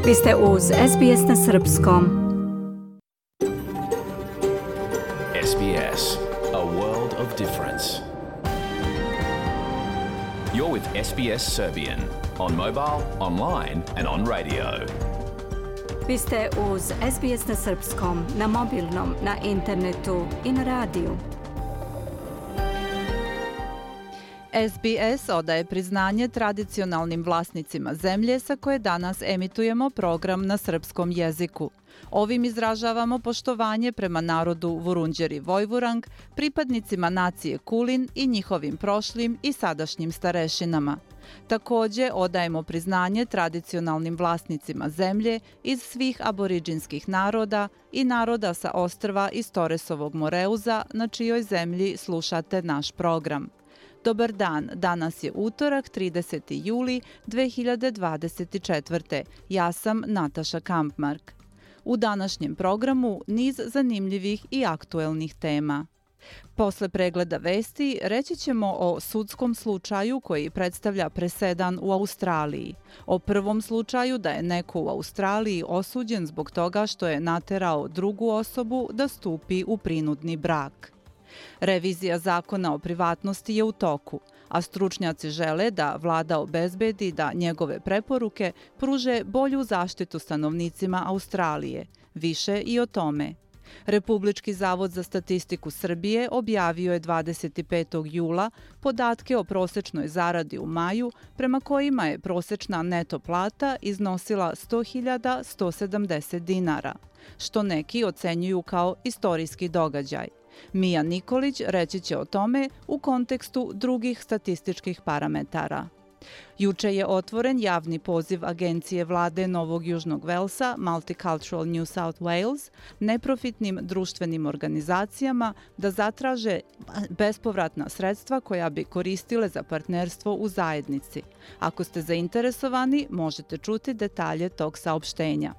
Vi ste uz SBS na Srpskom. SBS, a world of difference. You're with SBS Serbian on mobile, online and on radio. Vi ste uz SBS na Srpskom, na mobilnom, na internetu i na radiju. SBS odaje priznanje tradicionalnim vlasnicima zemlje sa koje danas emitujemo program na srpskom jeziku. Ovim izražavamo poštovanje prema narodu Vurundjeri Vojvurang, pripadnicima nacije Kulin i njihovim prošlim i sadašnjim starešinama. Također odajemo priznanje tradicionalnim vlasnicima zemlje iz svih aboriđinskih naroda i naroda sa ostrva iz Toresovog Moreuza na čijoj zemlji slušate naš program. Dobar dan, danas je utorak 30. juli 2024. Ja sam Nataša Kampmark. U današnjem programu niz zanimljivih i aktuelnih tema. Posle pregleda vesti reći ćemo o sudskom slučaju koji predstavlja presedan u Australiji. O prvom slučaju da je neko u Australiji osuđen zbog toga što je naterao drugu osobu da stupi u prinudni brak. Revizija zakona o privatnosti je u toku, a stručnjaci žele da vlada obezbedi da njegove preporuke pruže bolju zaštitu stanovnicima Australije. Više i o tome. Republički zavod za statistiku Srbije objavio je 25. jula podatke o prosečnoj zaradi u maju, prema kojima je prosečna neto plata iznosila 100.170 dinara, što neki ocenjuju kao istorijski događaj. Mija Nikolić reći će o tome u kontekstu drugih statističkih parametara. Juče je otvoren javni poziv agencije vlade Novog Južnog Velsa, Multicultural New South Wales, neprofitnim društvenim organizacijama da zatraže bespovratna sredstva koja bi koristile za partnerstvo u zajednici. Ako ste zainteresovani, možete čuti detalje tog saopštenja.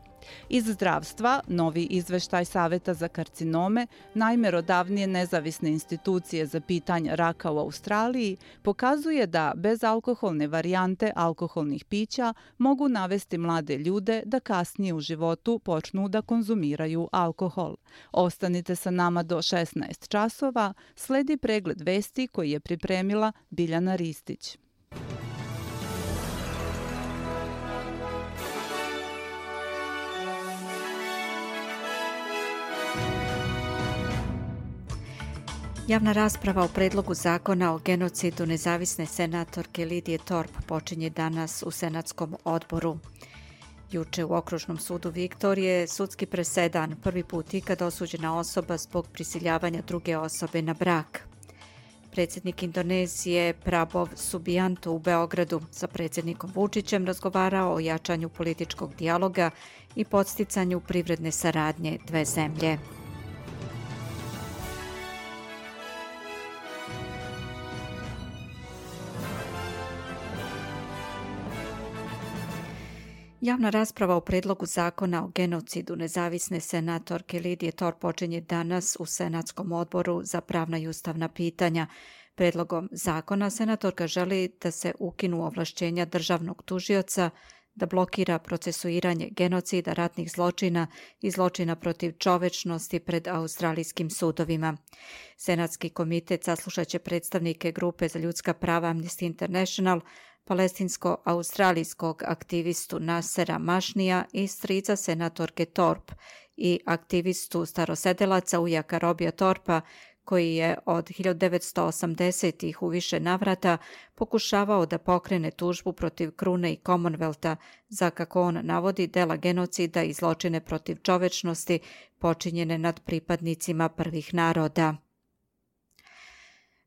Iz zdravstva, novi izveštaj Saveta za karcinome, najmerodavnije nezavisne institucije za pitanje raka u Australiji, pokazuje da bezalkoholne varijante alkoholnih pića mogu navesti mlade ljude da kasnije u životu počnu da konzumiraju alkohol. Ostanite sa nama do 16 časova, sledi pregled vesti koji je pripremila Biljana Ristić. Javna rasprava o predlogu zakona o genocidu nezavisne senatorke Lidije Thorpe počinje danas u Senatskom odboru. Juče u Okružnom sudu Viktorije sudski presedan, prvi put ikad osuđena osoba zbog prisiljavanja druge osobe na brak. Predsjednik Indonezije Prabowo Subianto u Beogradu sa predsjednikom Vučićem razgovarao o jačanju političkog dijaloga i podsticanju privredne saradnje dve zemlje. Javna rasprava o predlogu zakona o genocidu nezavisne senatorke Lidije Thorpe počinje danas u Senatskom odboru za pravna i ustavna pitanja. Predlogom zakona senatorka želi da se ukinu ovlašćenja državnog tužioca da blokira procesuiranje genocida, ratnih zločina i zločina protiv čovečnosti pred australijskim sudovima. Senatski komitet saslušat će predstavnike grupe za ljudska prava Amnesty International, palestinsko-australijskog aktivistu Nasera Mašnija i strica senatorke Thorpe i aktivistu starosedelaca ujaka Robija Thorpa, koji je od 1980-ih u više navrata pokušavao da pokrene tužbu protiv krune i Commonwealtha za, kako on navodi, dela genocida i zločine protiv čovečnosti počinjene nad pripadnicima prvih naroda.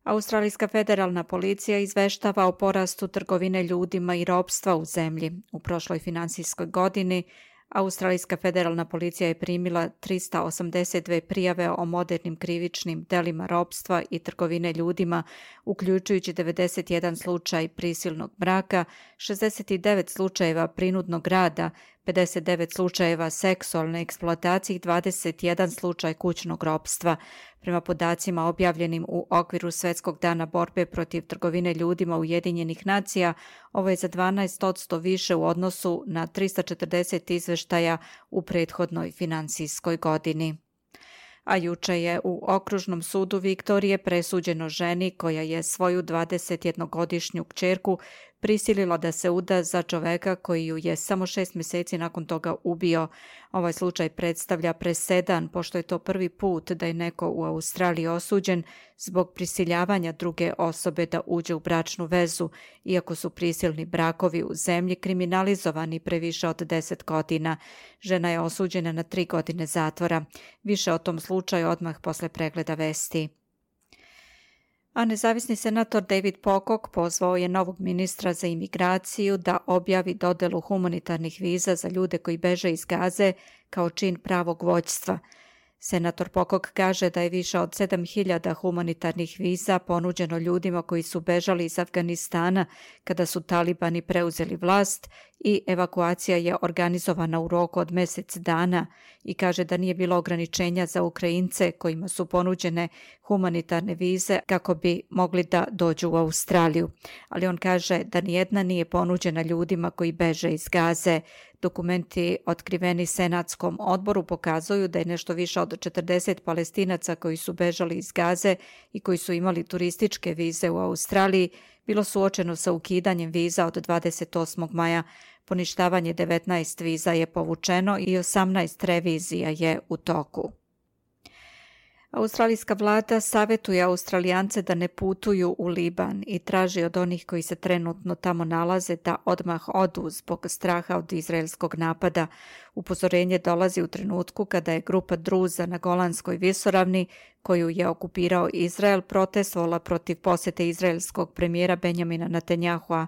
Australijska federalna policija izveštava o porastu trgovine ljudima i ropstva u zemlji. U prošloj finansijskoj godini Australijska federalna policija je primila 382 prijave o modernim krivičnim delima ropstva i trgovine ljudima, uključujući 91 slučaj prisilnog braka, 69 slučajeva prinudnog rada, 59 slučajeva seksualne eksploatacije i 21 slučaj kućnog ropstva. Prema podacima objavljenim u okviru Svjetskog dana borbe protiv trgovine ljudima Ujedinjenih nacija, ovo je za 12% više u odnosu na 340 izveštaja u prethodnoj finansijskoj godini. A juče je u Okružnom sudu Viktorije presuđeno ženi koja je svoju 21-godišnju kćerku prisilila da se uda za čoveka koji ju je samo 6 mjeseci nakon toga ubio. Ovaj slučaj predstavlja presedan, pošto je to prvi put da je neko u Australiji osuđen zbog prisiljavanja druge osobe da uđe u bračnu vezu, iako su prisilni brakovi u zemlji kriminalizovani previše od 10 godina. Žena je osuđena na 3 godine zatvora. Više o tom slučaju odmah posle pregleda vesti. A nezavisni senator David Pocock pozvao je novog ministra za imigraciju da objavi dodelu humanitarnih viza za ljude koji beže iz Gaze kao čin pravog vođstva. Senator Pocock kaže da je više od 7.000 humanitarnih viza ponuđeno ljudima koji su bežali iz Afganistana kada su talibani preuzeli vlast i evakuacija je organizovana u roku od mjesec dana i kaže da nije bilo ograničenja za Ukrajince kojima su ponuđene humanitarne vize kako bi mogli da dođu u Australiju. Ali on kaže da nijedna nije ponuđena ljudima koji beže iz Gaze. Dokumenti otkriveni Senatskom odboru pokazuju da je nešto više od 40 Palestinaca koji su bežali iz Gaze i koji su imali turističke vize u Australiji bilo suočeno sa ukidanjem viza od 28. maja. Poništavanje 19 viza je povučeno i 18 revizija je u toku. Australijska vlada savjetuje Australijance da ne putuju u Liban i traži od onih koji se trenutno tamo nalaze da odmah odu zbog straha od izraelskog napada. Upozorenje dolazi u trenutku kada je grupa Druza na Golanskoj visoravni, koju je okupirao Izrael, protestovala protiv posjete izraelskog premijera Benjamina Netanjahua.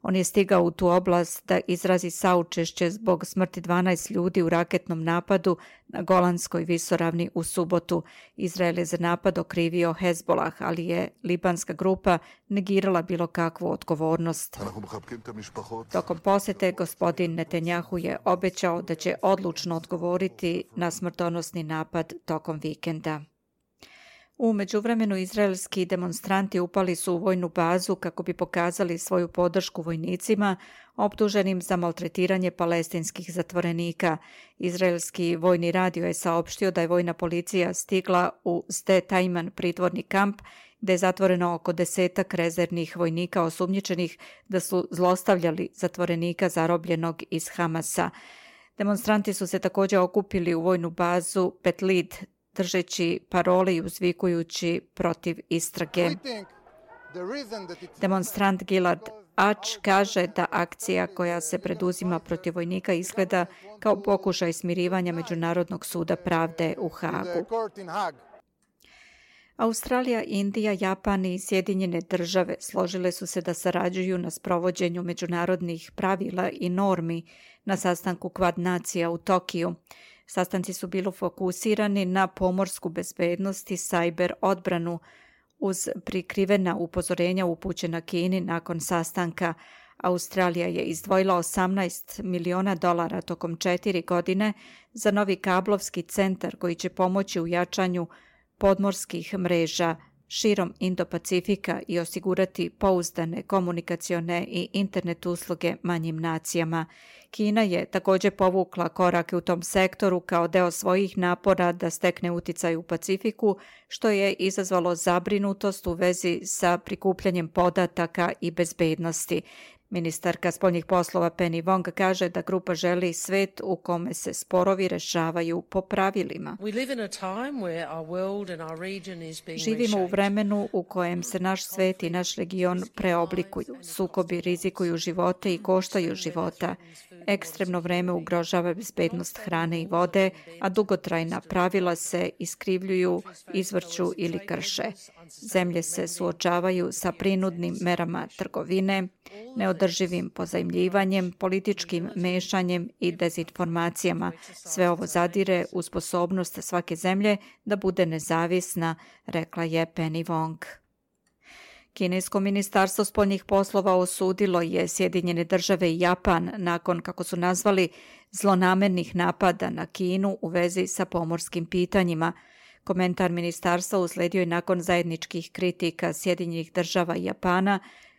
On je stigao u tu oblast da izrazi saučešće zbog smrti 12 ljudi u raketnom napadu na Golanskoj visoravni u subotu. Izrael je za napad okrivio Hezbolah, ali je libanska grupa negirala bilo kakvu odgovornost. Tokom posjete gospodin Netanjahu je obećao da će odlučno odgovoriti na smrtonosni napad tokom vikenda. U međuvremenu izraelski demonstranti upali su u vojnu bazu kako bi pokazali svoju podršku vojnicima optuženim za maltretiranje palestinskih zatvorenika. Izraelski vojni radio je saopštio da je vojna policija stigla u Sde Taiman pritvorni kamp gde je zatvoreno oko 10 rezervnih vojnika osumnjičenih da su zlostavljali zatvorenika zarobljenog iz Hamasa. Demonstranti su se također okupili u vojnu bazu Betlid, držeći parole i uzvikujući protiv istrage. Demonstrant Gilad Ač kaže da akcija koja se preduzima protiv vojnika izgleda kao pokušaj smirivanja Međunarodnog suda pravde u Hagu. Australija, Indija, Japan i Sjedinjene države složile su se da sarađuju na sprovođenju međunarodnih pravila i normi na sastanku Kvad nacija u Tokiju. Sastanci su bili fokusirani na pomorsku bezbednost i sajber odbranu uz prikrivena upozorenja upućena Kini nakon sastanka. Australija je izdvojila $18 miliona tokom 4 godine za novi kablovski centar koji će pomoći u jačanju podmorskih mreža širom Indo-Pacifika i osigurati pouzdane komunikacione i internet usluge manjim nacijama. Kina je također povukla korake u tom sektoru kao deo svojih napora da stekne uticaj u Pacifiku, što je izazvalo zabrinutost u vezi sa prikupljanjem podataka i bezbednosti. Ministarka spoljnih poslova Penny Wong kaže da grupa želi svet u kome se sporovi rešavaju po pravilima. Živimo u vremenu u kojem se naš svet i naš region preoblikuju. Sukobi rizikuju živote i koštaju života. Ekstremno vreme ugrožava bezbednost hrane i vode, a dugotrajna pravila se iskrivljuju, izvrću ili krše. Zemlje se suočavaju sa prinudnim merama trgovine, neodrživim pozajmljivanjem, političkim mešanjem i dezinformacijama. Sve ovo zadire u sposobnost svake zemlje da bude nezavisna, rekla je Penny Wong. Kinesko ministarstvo spoljnih poslova osudilo je Sjedinjene države i Japan nakon, kako su nazvali, zlonamernih napada na Kinu u vezi sa pomorskim pitanjima. Komentar ministarstva usledio je nakon zajedničkih kritika Sjedinjenih država i Japana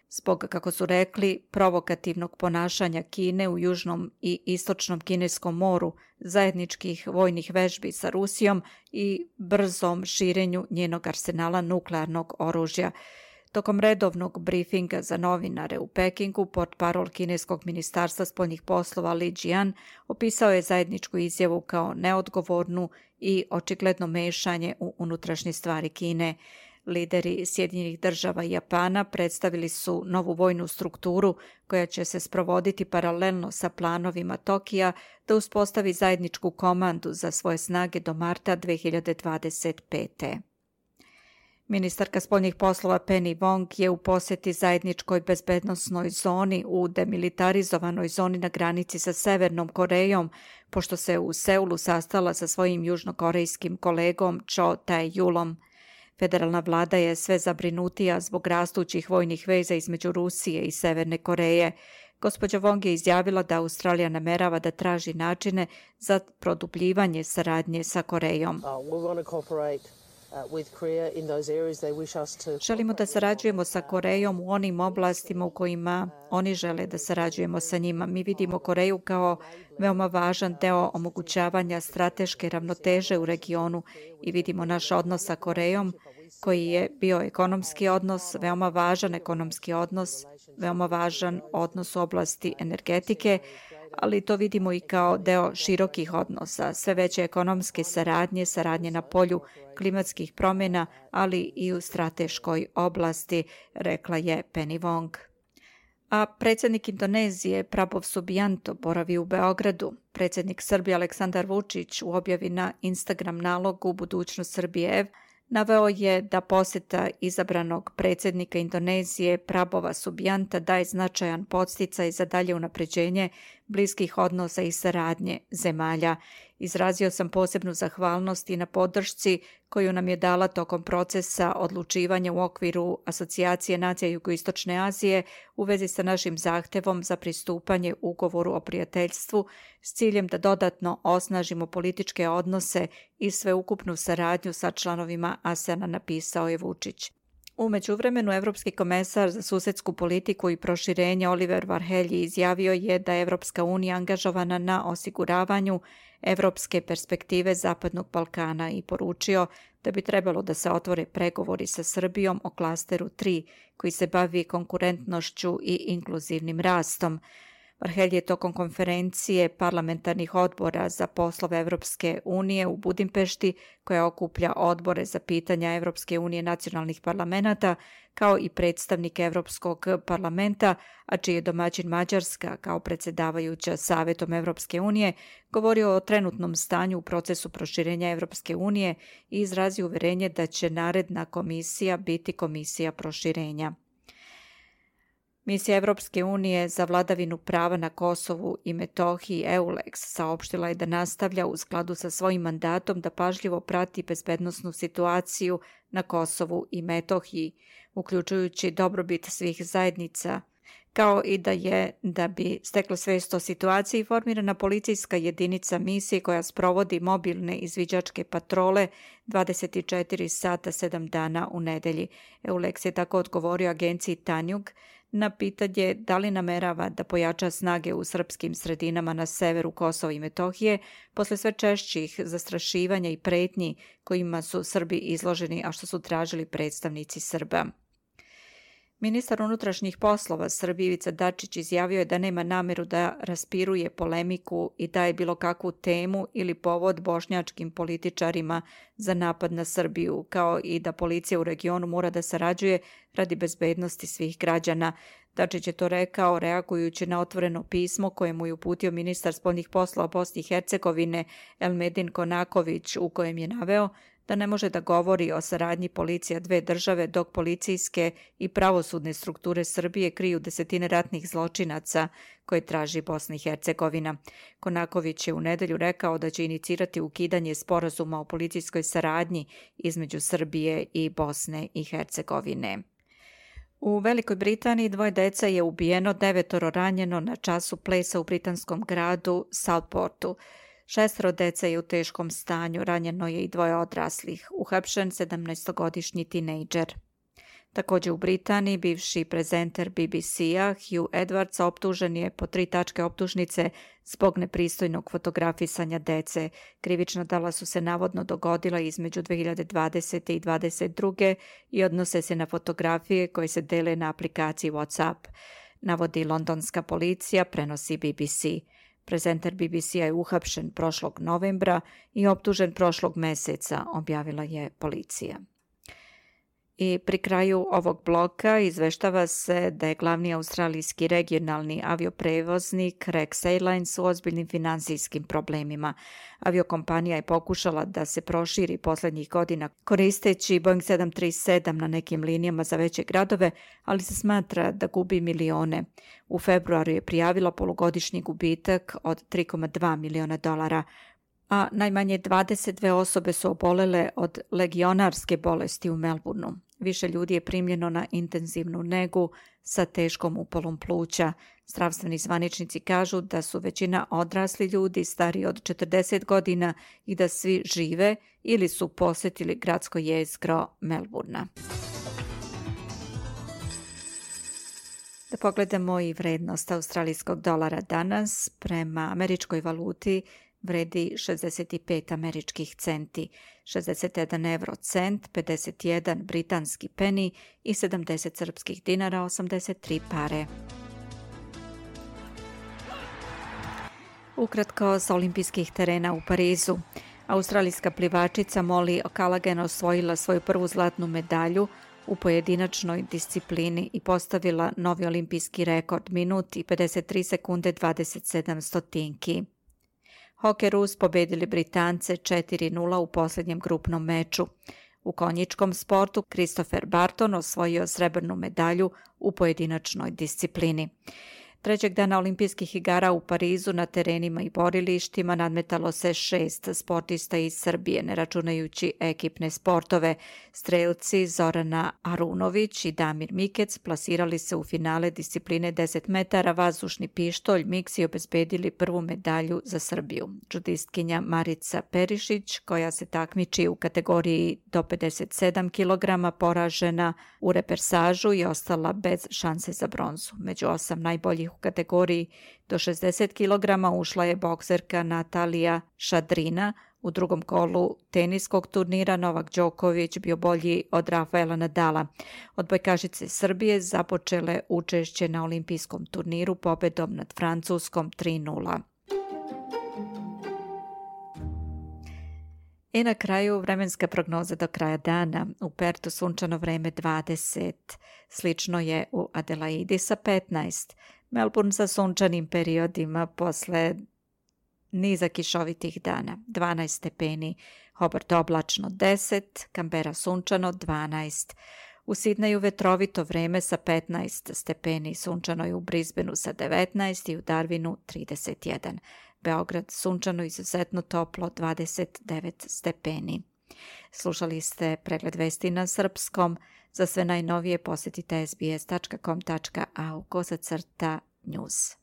zbog, kako su rekli, provokativnog ponašanja Kine u južnom i istočnom Kineskom moru, zajedničkih vojnih vežbi sa Rusijom i brzom širenju njenog arsenala nuklearnog oružja. Tokom redovnog brifinga za novinare u Pekingu, portparol Kineskog ministarstva spoljnih poslova Li Jian opisao je zajedničku izjavu kao neodgovornu i očigledno mešanje u unutrašnje stvari Kine. Lideri Sjedinjenih država i Japana predstavili su novu vojnu strukturu koja će se sprovoditi paralelno sa planovima Tokija da uspostavi zajedničku komandu za svoje snage do marta 2025. Ministarka spoljnih poslova Penny Wong je u posjeti zajedničkoj bezbednosnoj zoni u demilitarizovanoj zoni na granici sa Severnom Korejom, pošto se u Seulu sastala sa svojim južnokorejskim kolegom Cho Tae-julom. Federalna vlada je sve zabrinutija zbog rastućih vojnih veza između Rusije i Severne Koreje. Gospođa Wong je izjavila da Australija namerava da traži načine za produbljivanje saradnje sa Korejom. Želimo da sarađujemo sa Korejom u onim oblastima u kojima oni žele da sarađujemo sa njima. Mi vidimo Koreju kao veoma važan deo omogućavanja strateške ravnoteže u regionu i vidimo naš odnos sa Korejom koji je bio ekonomski odnos, veoma važan ekonomski odnos, veoma važan odnos u oblasti energetike, ali to vidimo i kao deo širokih odnosa, sve veće ekonomske saradnje na polju klimatskih promjena, ali i u strateškoj oblasti, rekla je Penny Wong. A predsjednik Indonezije Prabowo Subianto boravi u Beogradu. Predsjednik Srbije Aleksandar Vučić u objavi na Instagram nalogu Budućnost Srbije naveo je da posjeta izabranog predsjednika Indonezije Prabova Subianta daje značajan podsticaj za dalje unapređenje bliskih odnosa i saradnje zemalja. Izrazio sam posebnu zahvalnost i na podršci koju nam je dala tokom procesa odlučivanja u okviru Asocijacije nacija Jugoistočne Azije u vezi sa našim zahtevom za pristupanje ugovoru o prijateljstvu s ciljem da dodatno osnažimo političke odnose i sveukupnu saradnju sa članovima ASEAN-a, napisao je Vučić. U međuvremenu, Evropski komesar za susedsku politiku i proširenje Oliver Varhelyi izjavio je da je Evropska unija angažovana na osiguravanju evropske perspektive Zapadnog Balkana i poručio da bi trebalo da se otvore pregovori sa Srbijom o klasteru 3 koji se bavi konkurentnošću i inkluzivnim rastom. Varhelyi je tokom konferencije parlamentarnih odbora za poslove Evropske unije u Budimpešti, koja okuplja odbore za pitanja Evropske unije nacionalnih parlamenata, kao i predstavnike Evropskog parlamenta, a čiji je domaćin Mađarska kao predsjedavajuća Savetom Evropske unije, govorio o trenutnom stanju u procesu proširenja Evropske unije i izrazio uverenje da će naredna komisija biti komisija proširenja. Misija Evropske unije za vladavinu prava na Kosovu i Metohiji EULEX saopštila je da nastavlja u skladu sa svojim mandatom da pažljivo prati bezbednosnu situaciju na Kosovu i Metohiji, uključujući dobrobit svih zajednica, kao i da bi stekla svest o situaciji formirana policijska jedinica misije koja sprovodi mobilne izviđačke patrole 24 sata 7 dana u nedelji. EULEX je tako odgovorio agenciji Tanjug na pitanje da li namerava da pojača snage u srpskim sredinama na severu Kosova i Metohije posle sve češćih zastrašivanja i pretnji kojima su Srbi izloženi, a što su tražili predstavnici Srba. Ministar unutrašnjih poslova Srbije Ivica Dačić izjavio je da nema nameru da raspiruje polemiku i daje bilo kakvu temu ili povod bošnjačkim političarima za napad na Srbiju, kao i da policija u regionu mora da sarađuje radi bezbednosti svih građana. Dačić je to rekao reagujući na otvoreno pismo koje mu je uputio ministar spoljnih poslova Bosne i Hercegovine Elmedin Konaković, u kojem je naveo da ne može da govori o saradnji policija dve države dok policijske i pravosudne strukture Srbije kriju desetine ratnih zločinaca koje traži Bosna i Hercegovina. Konaković je u nedelju rekao da će inicirati ukidanje sporazuma o policijskoj saradnji između Srbije i Bosne i Hercegovine. U Velikoj Britaniji 2 dece je ubijeno, 9 ranjeno na času plesa u britanskom gradu Southportu. 6 dece je u teškom stanju, ranjeno je i 2 odraslih. Uhapšen 17-godišnji tinejdžer. Također u Britaniji bivši prezenter BBC-a Hugh Edwards optužen je po 3 tačke optužnice zbog nepristojnog fotografisanja dece. Krivična dela su se navodno dogodila između 2020. i 2022. i odnose se na fotografije koje se dele na aplikaciji WhatsApp. Navodi londonska policija, prenosi BBC. Prezenter BBC-a je uhapšen prošlog novembra i optužen prošlog meseca, objavila je policija. I pri kraju ovog bloka izveštava se da je glavni australijski regionalni avioprevoznik Rex Airlines u ozbiljnim finansijskim problemima. Aviokompanija je pokušala da se proširi posljednjih godina koristeći Boeing 737 na nekim linijama za veće gradove, ali se smatra da gubi milione. U februaru je prijavila polugodišnji gubitak od $3,2 miliona, a najmanje 22 osobe su obolele od legionarske bolesti u Melbourneu. Više ljudi je primljeno na intenzivnu negu sa teškom upalom pluća. Zdravstveni zvaničnici kažu da su većina odrasli ljudi stariji od 40 godina i da svi žive ili su posjetili gradsko jezgro Melbournea. Da pogledamo i vrednost australijskog dolara danas. Prema američkoj valuti vredi 65 američkih centi, 61 euro cent, 51 britanski peni i 70 srpskih dinara, 83 pare. Ukratko s olimpijskih terena u Parizu. Australijska plivačica Molly O'Callaghan osvojila svoju prvu zlatnu medalju u pojedinačnoj disciplini i postavila novi olimpijski rekord, minut i 53 sekunde 27 stotinki. Hokerusi pobedili Britance 4-0 u posljednjem grupnom meču. U konjičkom sportu Christopher Barton osvojio srebrnu medalju u pojedinačnoj disciplini. Trećeg dana olimpijskih igara u Parizu na terenima i borilištima nadmetalo se 6 sportista iz Srbije, ne računajući ekipne sportove. Strelci Zorana Arunović i Damir Mikec plasirali se u finale discipline 10 metara vazdušni pištolj, miks i obezbedili prvu medalju za Srbiju. Džudistkinja Marica Perišić, koja se takmiči u kategoriji do 57 kg, poražena u repersažu i ostala bez šanse za bronzu. Među 8 najboljih u kategoriji do 60 kg ušla je bokserka Natalija Šadrina. U drugom kolu teniskog turnira Novak Đoković bio bolji od Rafaela Nadala. Odbojkašice Srbije započele učešće na olimpijskom turniru pobedom nad Francuskom 3-0. I na kraju vremenska prognoza do kraja dana. U Pertu sunčano vreme 20, slično je u Adelaidi sa 15, Melbourne sa sunčanim periodima posle niza kišovitih dana 12 stepeni, Hobart oblačno 10, Canberra sunčano 12, u Sidneju vetrovito vreme sa 15 stepeni, sunčano je u Brisbaneu sa 19 i u Darwinu 31. Beograd sunčano izuzetno toplo 29 stepeni. Slušali ste pregled vesti na srpskom. Za sve najnovije posjetite sbs.com.au/news.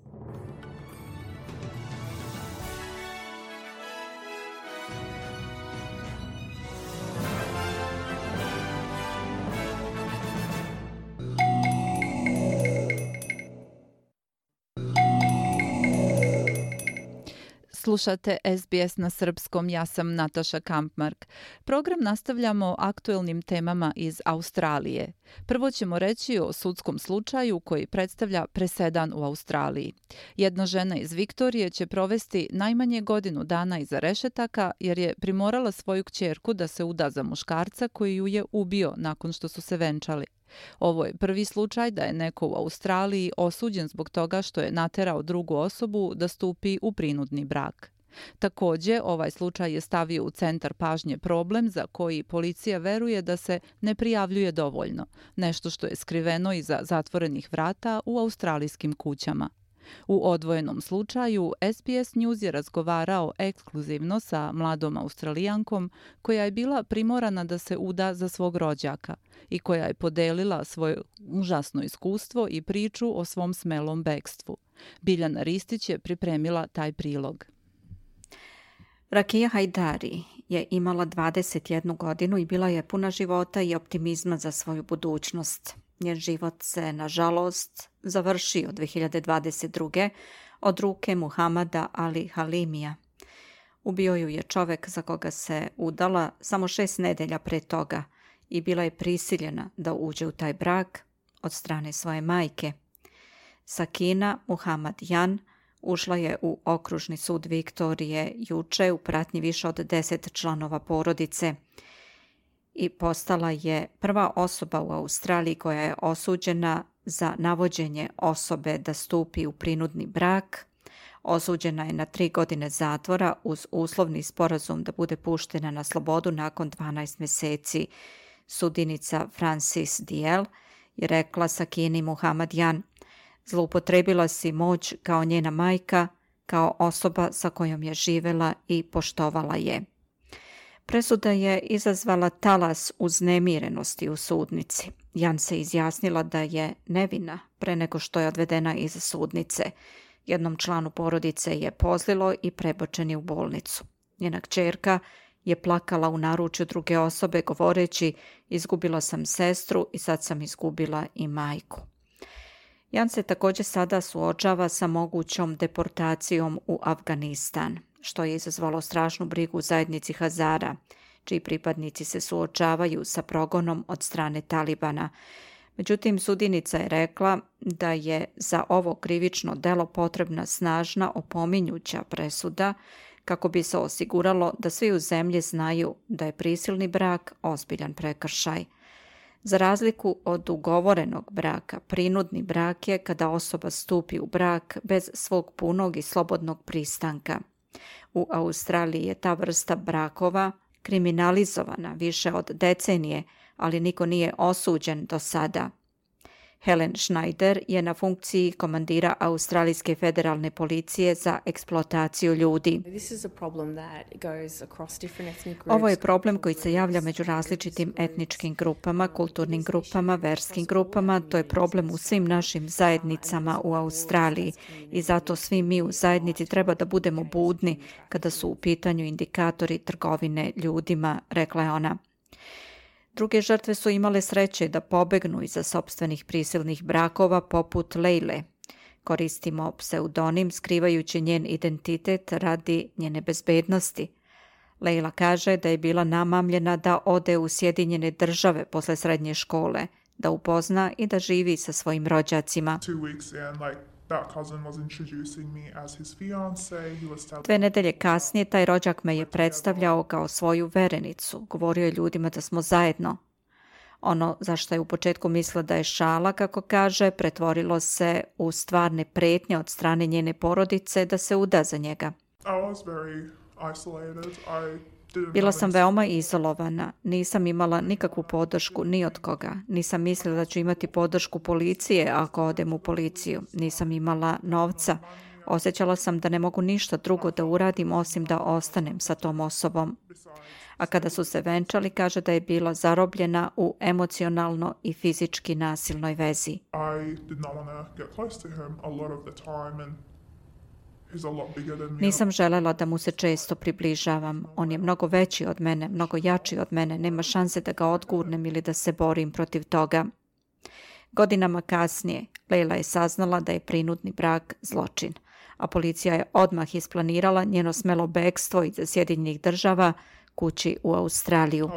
Slušate SBS na srpskom, ja sam Nataša Kampmark. Program nastavljamo aktuelnim temama iz Australije. Prvo ćemo reći o sudskom slučaju koji predstavlja presedan u Australiji. Jedna žena iz Viktorije će provesti najmanje godinu dana iza rešetaka jer je primorala svoju kćerku da se uda za muškarca koji ju je ubio nakon što su se venčali. Ovo je prvi slučaj da je neko u Australiji osuđen zbog toga što je naterao drugu osobu da stupi u prinudni brak. Također, ovaj slučaj je stavio u centar pažnje problem za koji policija veruje da se ne prijavljuje dovoljno, nešto što je skriveno iza zatvorenih vrata u australijskim kućama. U odvojenom slučaju, SBS News je razgovarao ekskluzivno sa mladom Australijankom koja je bila primorana da se uda za svog rođaka i koja je podelila svoje užasno iskustvo i priču o svom smelom bekstvu. Biljana Ristić je pripremila taj prilog. Rakija Hajdari je imala 21 godinu i bila je puna života i optimizma za svoju budućnost. Njen život se, nažalost, završio 2022. od ruke Muhamada Ali Halimija. Ubio ju je čovek za koga se udala samo 6 nedelja pre toga i bila je prisiljena da uđe u taj brak od strane svoje majke. Sakina Muhammad Jan ušla je u okružni sud Viktorije juče u pratnji više od 10 članova porodice i postala je prva osoba u Australiji koja je osuđena za navođenje osobe da stupi u prinudni brak. Osuđena je na 3 godine zatvora uz uslovni sporazum da bude puštena na slobodu nakon 12 meseci. Sudinica Francis Diel je rekla Sakini Muhammad Jan: "Zloupotrebila si moć kao njena majka, kao osoba sa kojom je živela i poštovala je." Presuda je izazvala talas uznemirenosti u sudnici. Jan se izjasnila da je nevina pre nego što je odvedena iz sudnice. Jednom članu porodice je pozlilo i prebačen je u bolnicu. Njena kćerka je plakala u naručju druge osobe govoreći: "Izgubila sam sestru i sad sam izgubila i majku." Jan se također sada suočava sa mogućom deportacijom u Afganistan, što je izazvalo strašnu brigu u zajednici Hazara, čiji pripadnici se suočavaju sa progonom od strane Talibana. Međutim, sudinica je rekla da je za ovo krivično delo potrebna snažna opominjuća presuda kako bi se osiguralo da svi u zemlji znaju da je prisilni brak ozbiljan prekršaj. Za razliku od ugovorenog braka, prinudni brak je kada osoba stupi u brak bez svog punog i slobodnog pristanka. U Australiji je ta vrsta brakova kriminalizovana više od decenije, ali niko nije osuđen do sada. Helen Schneider je na funkciji komandira Australijske federalne policije za eksploataciju ljudi. Ovo je problem koji se javlja među različitim etničkim grupama, kulturnim grupama, verskim grupama. To je problem u svim našim zajednicama u Australiji i zato svi mi u zajednici treba da budemo budni kada su u pitanju indikatori trgovine ljudima, rekla je ona. Druge žrtve su imale sreće da pobegnu iza sopstvenih prisilnih brakova poput Leile. Koristimo pseudonim skrivajući njen identitet radi njene bezbednosti. Leila kaže da je bila namamljena da ode u Sjedinjene Države posle srednje škole, da upozna i da živi sa svojim rođacima. 2 nedelje kasnije taj rođak me je predstavljao kao svoju verenicu. Govorio je ljudima da smo zajedno. Ono za što je u početku mislila da je šala, kako kaže, pretvorilo se u stvarne pretnje od strane njene porodice da se uda za njega. Bila sam veoma izolovana, nisam imala nikakvu podršku ni od koga. Nisam mislila da ću imati podršku policije ako odem u policiju. Nisam imala novca. Osjećala sam da ne mogu ništa drugo da uradim osim da ostanem sa tom osobom. A kada su se venčali, kaže da je bila zarobljena u emocionalno i fizički nasilnoj vezi. Nisam želela da mu se često približavam. On je mnogo veći od mene, mnogo jači od mene. Nema šanse da ga odgurnem ili da se borim protiv toga. Godinama kasnije, Leila je saznala da je prinudni brak zločin, a policija je odmah isplanirala njeno smelo bekstvo iz Sjedinjenih Država kući u Australiju.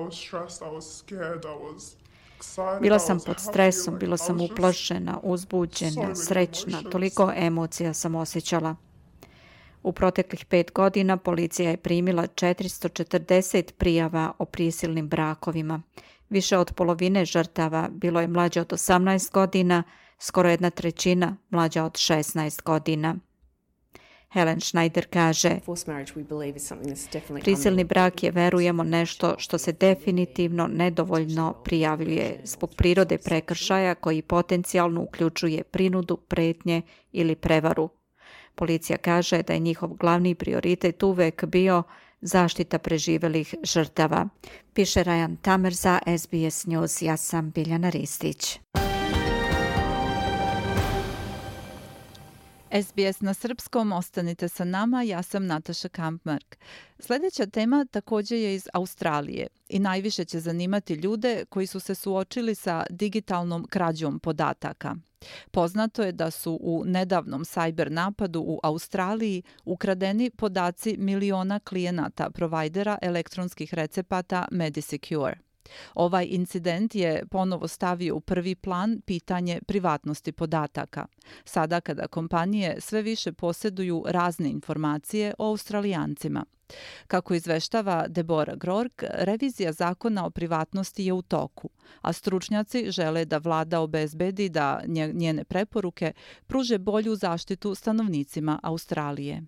Bila sam pod stresom, bila sam uplašena, uzbuđena, srećna, toliko emocija sam osjećala. U proteklih 5 godina policija je primila 440 prijava o prisilnim brakovima. Više od polovine žrtava bilo je mlađe od 18 godina, skoro 1/3 mlađa od 16 godina. Helen Schneider kaže: "Prisilni brak je, verujemo, nešto što se definitivno nedovoljno prijavljuje zbog prirode prekršaja koji potencijalno uključuje prinudu, pretnje ili prevaru," Policija kaže da je njihov glavni prioritet uvek bio zaštita preživelih žrtava. Piše Rajan Tamer za SBS News. Ja sam Biljana Ristić. SBS na srpskom, ostanite sa nama, ja sam Nataša Kampmark. Sljedeća tema također je iz Australije i najviše će zanimati ljude koji su se suočili sa digitalnom krađom podataka. Poznato je da su u nedavnom cyber napadu u Australiji ukradeni podaci miliona klijenata provajdera elektronskih recepata MediSecure. Ovaj incident je ponovo stavio u prvi plan pitanje privatnosti podataka. Sada kada kompanije sve više posjeduju razne informacije o Australijancima. Kako izveštava Deborah Groark, revizija zakona o privatnosti je u toku, a stručnjaci žele da vlada obezbedi da njene preporuke pruže bolju zaštitu stanovnicima Australije.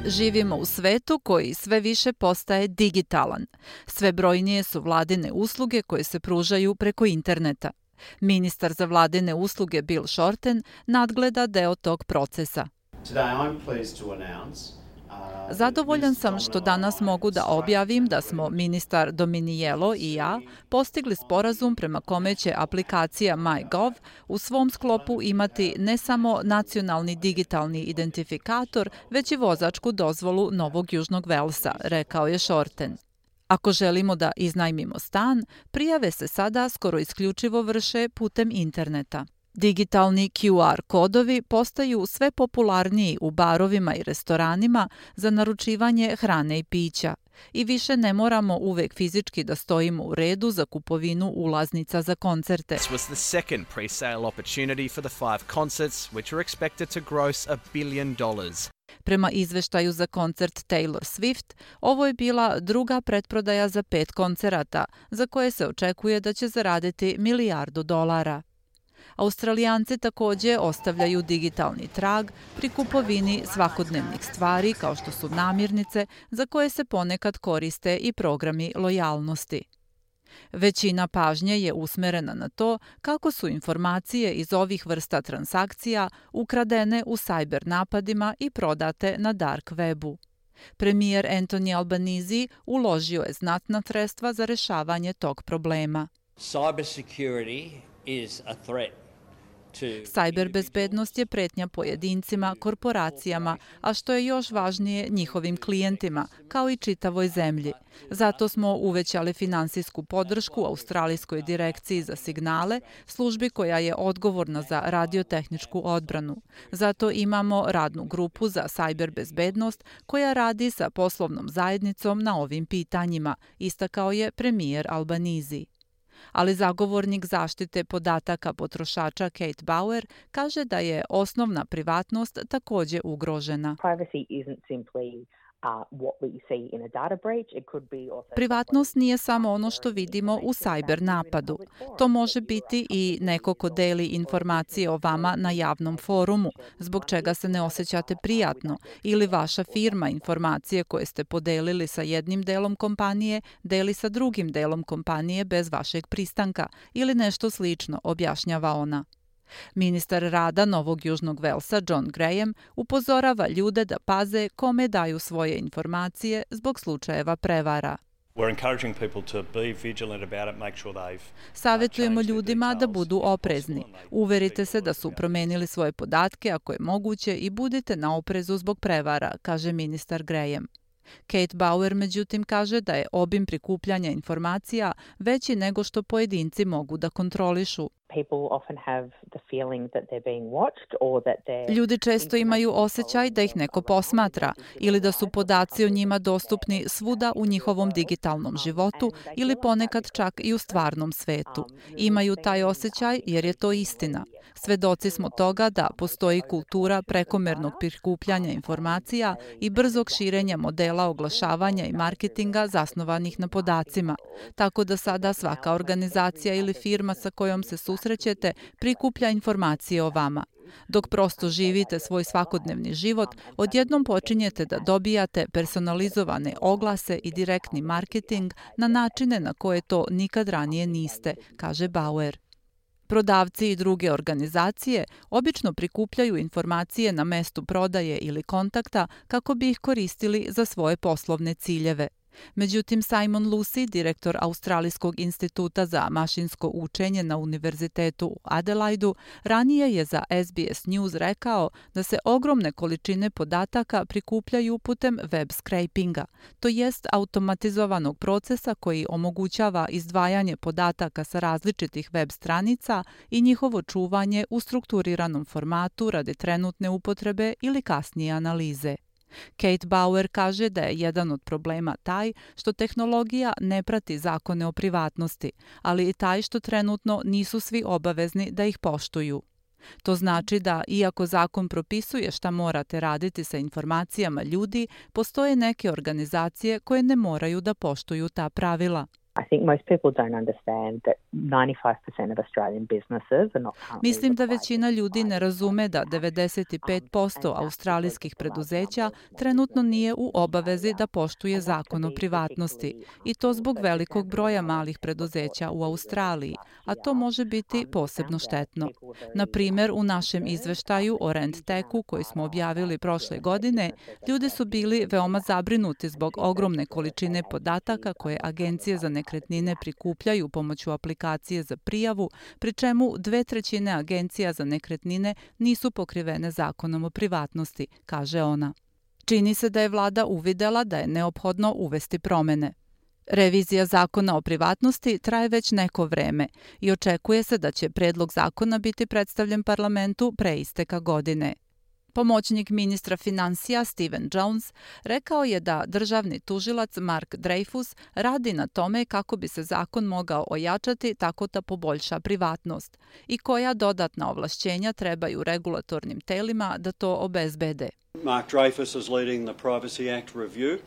Živimo u svetu koji sve više postaje digitalan. Sve brojnije su vladine usluge koje se pružaju preko interneta. Ministar za vladine usluge Bill Shorten nadgleda deo tog procesa. Zadovoljan sam što danas mogu da objavim da smo ministar Dominijello i ja postigli sporazum prema kome će aplikacija MyGov u svom sklopu imati ne samo nacionalni digitalni identifikator, već i vozačku dozvolu Novog Južnog Velsa, rekao je Shorten. Ako želimo da iznajmimo stan, prijave se sada skoro isključivo vrše putem interneta. Digitalni QR kodovi postaju sve popularniji u barovima i restoranima za naručivanje hrane i pića i više ne moramo uvek fizički da stojimo u redu za kupovinu ulaznica za koncerte. This was the second pre-sale opportunity for the 5 concerts, which are expected to gross $1 billion. Prema izveštaju za koncert Taylor Swift, ovo je bila druga pretprodaja za 5 koncerata, za koje se očekuje da će zaraditi $1 milijardu. Australijanci također ostavljaju digitalni trag pri kupovini svakodnevnih stvari kao što su namirnice za koje se ponekad koriste i programi lojalnosti. Većina pažnje je usmerena na to kako su informacije iz ovih vrsta transakcija ukradene u cyber napadima i prodate na dark webu. Premijer Anthony Albanese uložio je znatna sredstva za rješavanje tog problema. Cybersecurity is a threat. Cyber bezbednost je pretnja pojedincima, korporacijama, a što je još važnije njihovim klijentima, kao i čitavoj zemlji. Zato smo uvećali finansijsku podršku Australijskoj direkciji za signale, službi koja je odgovorna za radiotehničku odbranu. Zato imamo radnu grupu za cyber bezbednost koja radi sa poslovnom zajednicom na ovim pitanjima, istakao je premijer Albanese. Ali zagovornik zaštite podataka potrošača Kate Bauer kaže da je osnovna privatnost također ugrožena. Privatnost nije samo ono što vidimo u cyber napadu. To može biti i neko ko deli informacije o vama na javnom forumu, zbog čega se ne osjećate prijatno, ili vaša firma informacije koje ste podelili sa jednim delom kompanije deli sa drugim delom kompanije bez vašeg pristanka ili nešto slično, objašnjava ona. Ministar rada Novog Južnog Velsa John Graham upozorava ljude da paze kome daju svoje informacije zbog slučajeva prevara. Savjetujemo ljudima da budu oprezni. Uverite se da su promenili svoje podatke ako je moguće i budite na oprezu zbog prevara, kaže ministar Graham. Kate Bauer međutim kaže da je obim prikupljanja informacija veći nego što pojedinci mogu da kontrolišu. Ljudi često imaju osjećaj da ih neko posmatra ili da su podaci o njima dostupni svuda u njihovom digitalnom životu ili ponekad čak i u stvarnom svetu. Imaju taj osjećaj jer je to istina. Svedoci smo toga da postoji kultura prekomernog prikupljanja informacija i brzog širenja modela oglašavanja i marketinga zasnovanih na podacima. Tako da sada svaka organizacija ili firma sa kojom se susrećete prikuplja informacije o vama. Dok prosto živite svoj svakodnevni život, odjednom počinjete da dobijate personalizovane oglase i direktni marketing na načine na koje to nikad ranije niste, kaže Bauer. Prodavci i druge organizacije obično prikupljaju informacije na mestu prodaje ili kontakta kako bi ih koristili za svoje poslovne ciljeve. Međutim, Simon Lucy, direktor Australijskog instituta za mašinsko učenje na Univerzitetu u Adelaidu, ranije je za SBS News rekao da se ogromne količine podataka prikupljaju putem web scrapinga, to jest automatizovanog procesa koji omogućava izdvajanje podataka sa različitih web stranica i njihovo čuvanje u strukturiranom formatu radi trenutne upotrebe ili kasnije analize. Kate Bauer kaže da je jedan od problema taj što tehnologija ne prati zakone o privatnosti, ali i taj što trenutno nisu svi obavezni da ih poštuju. To znači da, iako zakon propisuje šta morate raditi sa informacijama ljudi, postoje neke organizacije koje ne moraju da poštuju ta pravila. I think most people don't understand that 95% of Australian businesses are not currently. Mislim da većina ljudi ne razume da 95% australijskih preduzeća trenutno nije u obavezi da poštuje zakon o privatnosti i to zbog velikog broja malih preduzeća u Australiji, a to može biti posebno štetno. Na primjer, u našem izveštaju o RentTechu koji smo objavili prošle godine, ljudi su bili veoma zabrinuti zbog ogromne količine podataka koje agencije za nekretnine prikupljaju pomoću aplikacije za prijavu, pri čemu 2/3 agencija za nekretnine nisu pokrivene zakonom o privatnosti, kaže ona. Čini se da je vlada uvidela da je neophodno uvesti promene. Revizija zakona o privatnosti traje već neko vreme i očekuje se da će predlog zakona biti predstavljen parlamentu pre isteka godine. Pomoćnik ministra finansija Steven Jones rekao je da državni tužilac Mark Dreyfus radi na tome kako bi se zakon mogao ojačati tako da poboljša privatnost i koja dodatna ovlašćenja trebaju regulatornim telima da to obezbede. Mark Dreyfus is leading the Privacy Act review.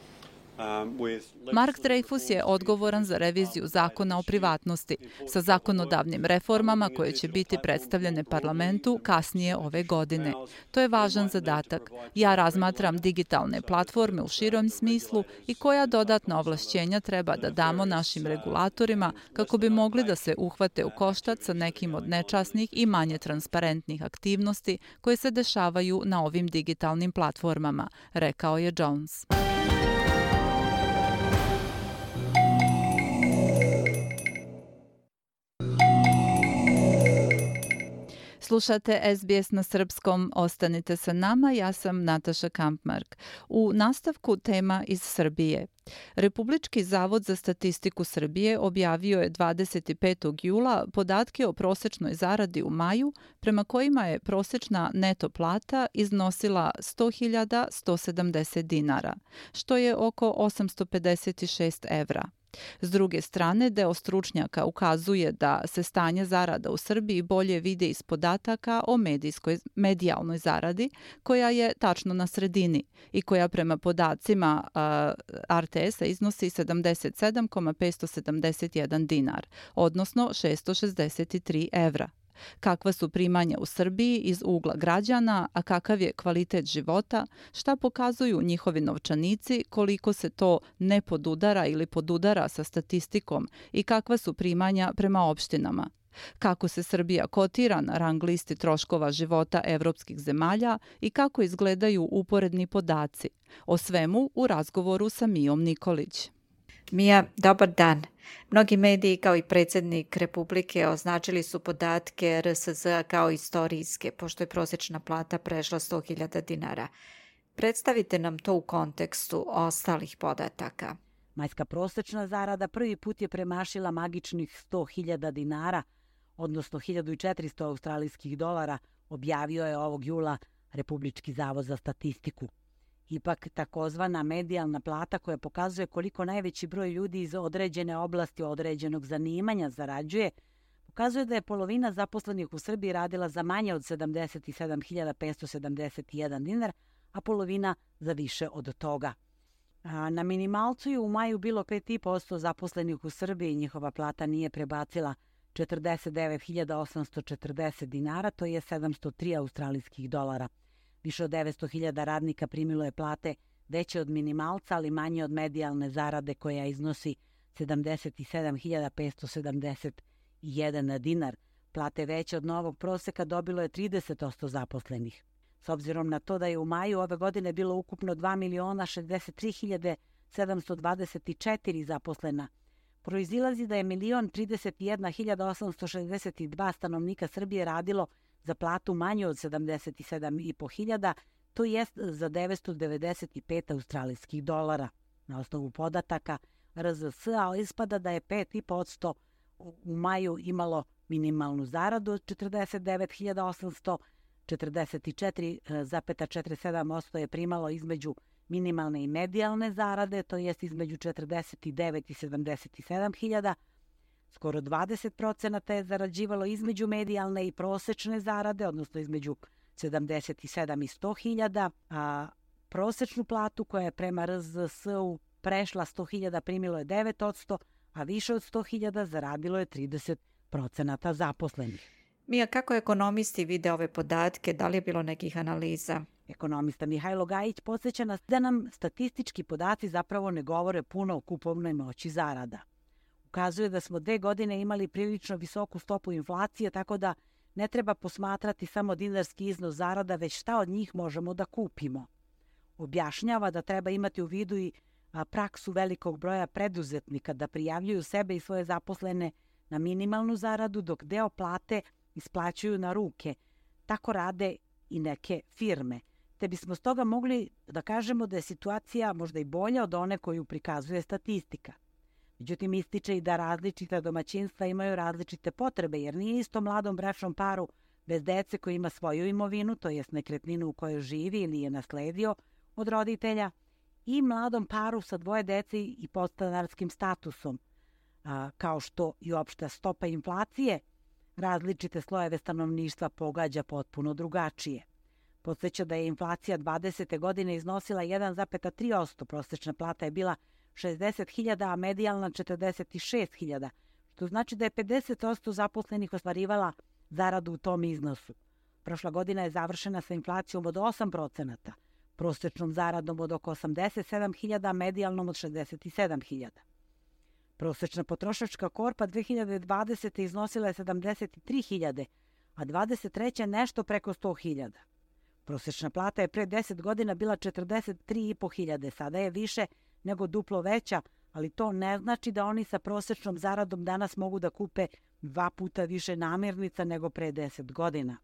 Mark Dreyfus je odgovoran za reviziju zakona o privatnosti sa zakonodavnim reformama koje će biti predstavljene parlamentu kasnije ove godine. To je važan zadatak. Ja razmatram digitalne platforme u širom smislu i koja dodatna ovlašćenja treba da damo našim regulatorima kako bi mogli da se uhvate u koštac sa nekim od nečasnih i manje transparentnih aktivnosti koje se dešavaju na ovim digitalnim platformama, rekao je Jones. Slušate SBS na srpskom, ostanite sa nama, ja sam Nataša Kampmark. U nastavku tema iz Srbije. Republički zavod za statistiku Srbije objavio je 25. jula podatke o prosečnoj zaradi u maju, prema kojima je prosečna neto plata iznosila 100.170 dinara, što je oko 856 evra. S druge strane, deo stručnjaka ukazuje da se stanje zarada u Srbiji bolje vide iz podataka o medijalnoj zaradi, koja je tačno na sredini i koja prema podacima RTS-a iznosi 77,571 dinar, odnosno 663 evra. Kakva su primanja u Srbiji iz ugla građana, a kakav je kvalitet života, šta pokazuju njihovi novčanici, koliko se to ne podudara ili podudara sa statistikom i kakva su primanja prema opštinama. Kako se Srbija kotira na rang listi troškova života evropskih zemalja i kako izgledaju uporedni podaci. O svemu u razgovoru sa Mijom Nikolić. Mija, dobar dan. Mnogi mediji kao i predsjednik Republike označili su podatke RSZ kao istorijske, pošto je prosječna plata prešla 100.000 dinara. Predstavite nam to u kontekstu ostalih podataka. Majska prosječna zarada prvi put je premašila magičnih 100.000 dinara, odnosno 1.400 australijskih dolara, objavio je ovog jula Republički zavod za statistiku. Ipak, takozvana medijalna plata koja pokazuje koliko najveći broj ljudi iz određene oblasti određenog zanimanja zarađuje, pokazuje da je polovina zaposlenih u Srbiji radila za manje od 77.571 dinar, a polovina za više od toga. Na minimalcu je u maju bilo 5,5% zaposlenih u Srbiji, njihova plata nije prebacila 49.840 dinara, to je 703 australijskih dolara. Više od 900.000 radnika primilo je plate veće od minimalca, ali manje od medijalne zarade koja iznosi 77.571 dinar. Plate veće od novog proseka dobilo je 30% zaposlenih. S obzirom na to da je u maju ove godine bilo ukupno 2.063.724 zaposlena, proizilazi da je 1.031.862 stanovnika Srbije radilo za platu manju od 77.500, to jest za 995 australijskih dolara. Na osnovu podataka RZS-a ispada da je 5,5% u maju imalo minimalnu zaradu od 49.800, 44,47% je primalo između minimalne i medijalne zarade, to jest između 49 i 77.000. Skoro 20% je zarađivalo između medijalne i prosečne zarade, odnosno između 77 i 100.000, a prosečnu platu koja je prema RZS-u prešla 100.000 primilo je 9%, a više od 100.000 zaradilo je 30% zaposlenih. Mija, kako ekonomisti vide ove podatke? Da li je bilo nekih analiza? Ekonomista Mihajlo Gajić podsjeća nas da nam statistički podaci zapravo ne govore puno o kupovnoj moći zarada. Ukazuje da smo 2 godine imali prilično visoku stopu inflacije, tako da ne treba posmatrati samo dinarski iznos zarada, već šta od njih možemo da kupimo. Objašnjava da treba imati u vidu i praksu velikog broja preduzetnika da prijavljuju sebe i svoje zaposlene na minimalnu zaradu, dok deo plate isplaćuju na ruke. Tako rade i neke firme. Te bismo stoga mogli da kažemo da je situacija možda i bolja od one koju prikazuje statistika. Međutim, ističe i da različita domaćinstva imaju različite potrebe, jer nije isto mladom bračnom paru bez dece koji ima svoju imovinu, to jest nekretninu u kojoj živi ili je nasledio od roditelja, i mladom paru sa 2 dece i podstanarskim statusom, kao što i opšta stopa inflacije različite slojeve stanovništva pogađa potpuno drugačije. Podsjeća da je inflacija 20. godine iznosila 1,3%, prosječna plata je bila 60.000, a medijalna 46.000, što znači da je 50% zaposlenih ostvarivala zaradu u tom iznosu. Prošla godina je završena sa inflacijom od 8%, prosječnom zaradom od oko 87.000, a medijalnom od 67.000. Prosječna potrošačka korpa 2020. iznosila je 73.000, a 23. nešto preko 100.000. Prosječna plata je pre 10 godina bila 43.500, sada je više nego duplo veća, ali to ne znači da oni sa prosječnom zaradom danas mogu da kupe 2 puta više namirnica nego pre 10 godina.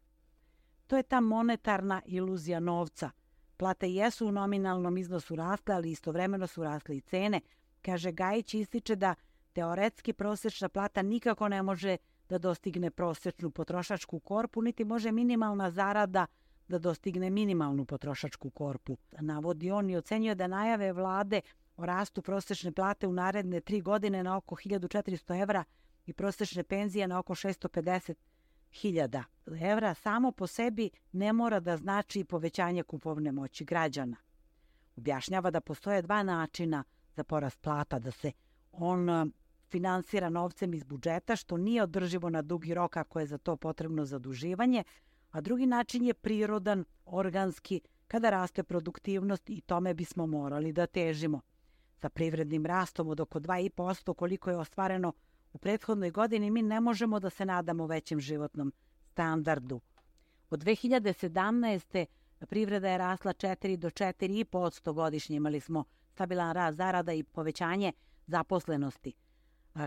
To je ta monetarna iluzija novca. Plate jesu u nominalnom iznosu rasle, ali istovremeno su rasle i cene. Kaže Gajić, ističe da teoretski prosječna plata nikako ne može da dostigne prosječnu potrošačku korpu, niti može minimalna zarada da dostigne minimalnu potrošačku korpu. Navodi on i ocenjuje da najave vlade o rastu prosječne plate u naredne 3 godine na oko 1.400 evra i prosječne penzije na oko 650.000 evra samo po sebi ne mora da znači povećanje kupovne moći građana. Objašnjava da postoje 2 načina za porast plata, da se on finansira novcem iz budžeta, što nije održivo na dugi rok ako je za to potrebno zaduživanje, a drugi način je prirodan, organski, kada raste produktivnost i tome bismo morali da težimo. Sa privrednim rastom od oko 2,5% koliko je ostvareno u prethodnoj godini, mi ne možemo da se nadamo većem životnom standardu. Od 2017. privreda je rasla 4 do 4,5% godišnje. Imali smo stabilan rast zarada i povećanje zaposlenosti.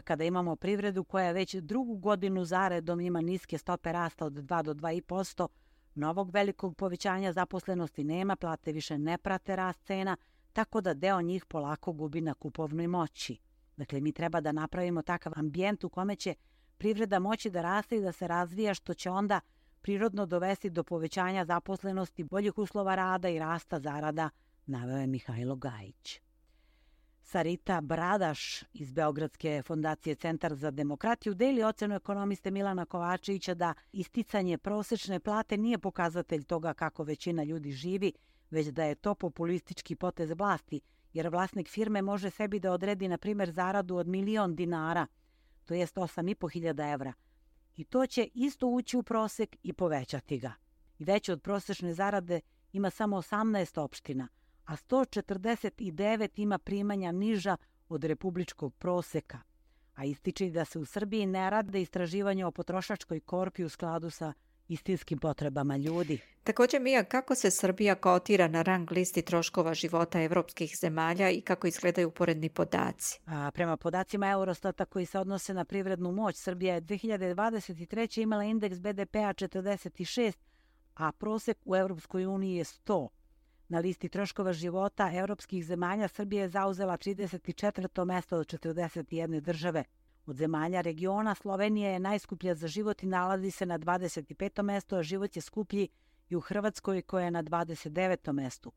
Kada imamo privredu koja već 2. godinu zaredom ima niske stope rasta od 2 do 2,5%, novog velikog povećanja zaposlenosti nema, plate više ne prate rast cena, tako da deo njih polako gubi na kupovnoj moći. Dakle, mi treba da napravimo takav ambijent u kome će privreda moći da raste i da se razvija, što će onda prirodno dovesti do povećanja zaposlenosti, boljih uslova rada i rasta zarada, naveo je Mihajlo Gajić. Sarita Bradaš iz Beogradske fondacije Centar za demokratiju deli ocenu ekonomiste Milana Kovačevića da isticanje prosečne plate nije pokazatelj toga kako većina ljudi živi, već da je to populistički potez vlasti, jer vlasnik firme može sebi da odredi, na primjer, zaradu od 1.000.000 dinara, to jest 8.500 evra, i to će isto ući u prosek i povećati ga. I veće od prosečne zarade ima samo 18 opština, a 149 ima primanja niža od republičkog proseka. A ističe da se u Srbiji ne rade istraživanja o potrošačkoj korpi u skladu sa istinskim potrebama ljudi. Također, Mija, kako se Srbija kotira na rang listi troškova života evropskih zemalja i kako izgledaju uporedni podaci? Prema podacima Eurostata koji se odnose na privrednu moć, Srbija je 2023. imala indeks BDP-a 46, a prosek u Evropskoj uniji je 100. Na listi troškova života evropskih zemalja Srbija je zauzela 34. mesto od 41 države. Od zemalja regiona Slovenija je najskuplja za život i nalazi se na 25. mestu, a život je skuplji i u Hrvatskoj koja je na 29. mestu.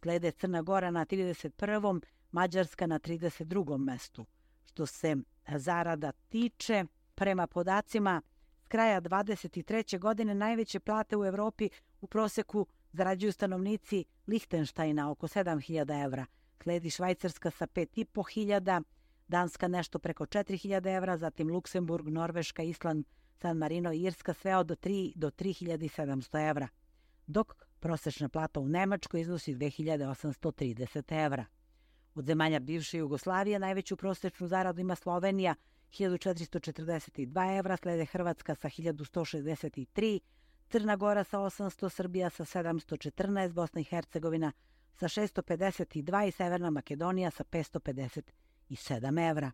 Slede Crna Gora na 31. Mađarska na 32. mestu. Što se zarada tiče, prema podacima s kraja 23. godine najveće plate u Evropi u proseku zarađuju stanovnici Lihtenštajna oko 7.000 evra. Sledi Švajcarska sa 5.500, Danska nešto preko 4.000 evra, zatim Luksemburg, Norveška, Island, San Marino i Irska sve od 3 do 3.700 evra, dok prosečna plata u Nemačkoj iznosi 2.830 evra. Od zemalja bivše Jugoslavije najveću prosečnu zaradu ima Slovenija 1.442 evra, slede Hrvatska sa 1.163, Crna Gora sa 800, Srbija sa 714, Bosna i Hercegovina sa 652 i Severna Makedonija sa 557 evra.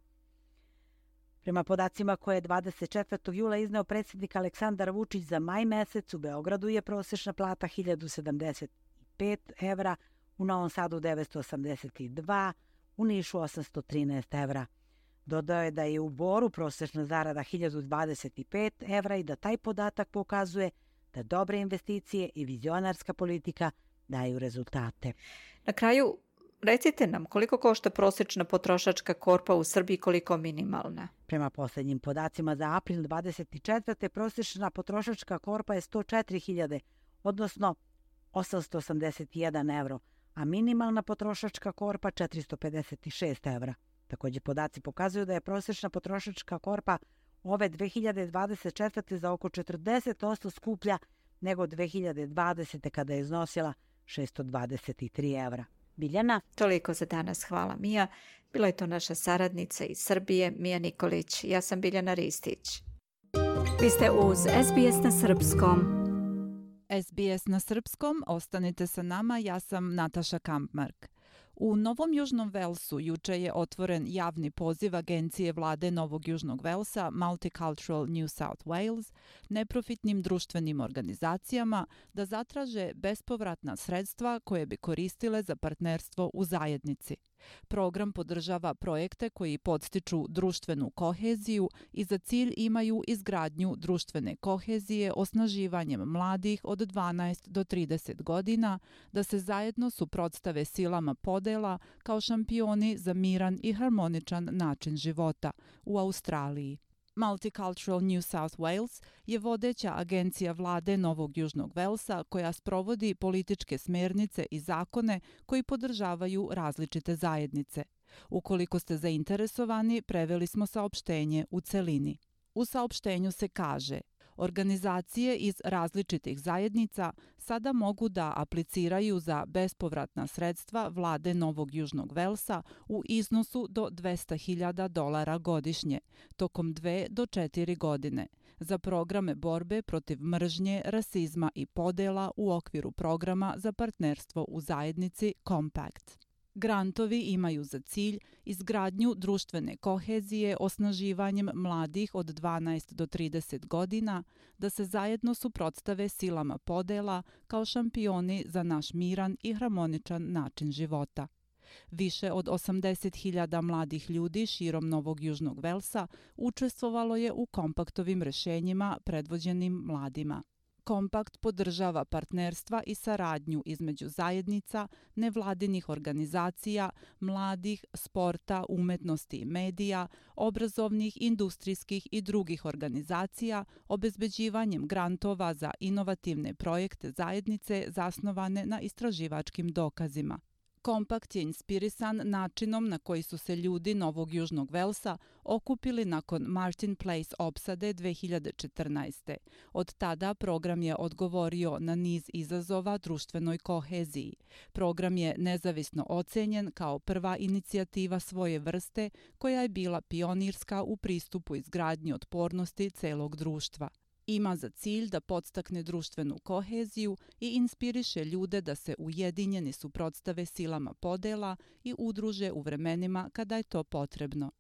Prema podacima koje je 24. jula izneo predsjednik Aleksandar Vučić za maj mesec, u Beogradu je prosečna plata 1.075 evra, u Novom Sadu 982, u Nišu 813 evra. Dodao je da je u Boru prosečna zarada 1.025 evra i da taj podatak pokazuje da dobre investicije i vizionarska politika daju rezultate. Na kraju, recite nam koliko košta prosječna potrošačka korpa u Srbiji, koliko minimalna? Prema posljednjim podacima za april 24. prosječna potrošačka korpa je 104.000, odnosno 881 evro, a minimalna potrošačka korpa 456 evra. Također podaci pokazuju da je prosječna potrošačka korpa ove 2024. za oko 40% skuplja nego 2020. kada je iznosila 623 evra. Biljana? Toliko za danas. Hvala, Mija. Bila je to naša saradnica iz Srbije, Mija Nikolić. Ja sam Biljana Ristić. Vi ste uz SBS na Srpskom. SBS na Srpskom, ostanite sa nama, ja sam Nataša Kampmark. U Novom Južnom Velsu juče je otvoren javni poziv Agencije vlade Novog Južnog Velsa Multicultural New South Wales neprofitnim društvenim organizacijama da zatraže bespovratna sredstva koje bi koristile za partnerstvo u zajednici. Program podržava projekte koji podstiču društvenu koheziju i za cilj imaju izgradnju društvene kohezije osnaživanjem mladih od 12 do 30 godina da se zajedno suprotstave silama podela kao šampioni za miran i harmoničan način života u Australiji. Multicultural New South Wales je vodeća agencija vlade Novog Južnog Velsa koja sprovodi političke smernice i zakone koji podržavaju različite zajednice. Ukoliko ste zainteresovani, preveli smo saopštenje u celini. U saopštenju se kaže: organizacije iz različitih zajednica sada mogu da apliciraju za bespovratna sredstva vlade Novog Južnog Velsa u iznosu do $200,000 godišnje, tokom 2 do 4 godine, za programe borbe protiv mržnje, rasizma i podela u okviru programa za partnerstvo u zajednici Compact. Grantovi imaju za cilj izgradnju društvene kohezije osnaživanjem mladih od 12 do 30 godina da se zajedno suprotstave silama podela kao šampioni za naš miran i harmoničan način života. Više od 80.000 mladih ljudi širom Novog Južnog Velsa učestvovalo je u kompaktovim rešenjima predvođenim mladima. Kompakt podržava partnerstva i saradnju između zajednica, nevladinih organizacija, mladih, sporta, umetnosti i medija, obrazovnih, industrijskih i drugih organizacija, obezbeđivanjem grantova za inovativne projekte zajednice zasnovane na istraživačkim dokazima. Kompakt je inspirisan načinom na koji su se ljudi Novog Južnog Velsa okupili nakon Martin Place opsade 2014. Od tada program je odgovorio na niz izazova društvenoj koheziji. Program je nezavisno ocenjen kao prva inicijativa svoje vrste koja je bila pionirska u pristupu izgradnji otpornosti celog društva. Ima za cilj da podstakne društvenu koheziju i inspiriše ljude da se ujedinjeni suprotstave silama podela i udruže u vremenima kada je to potrebno.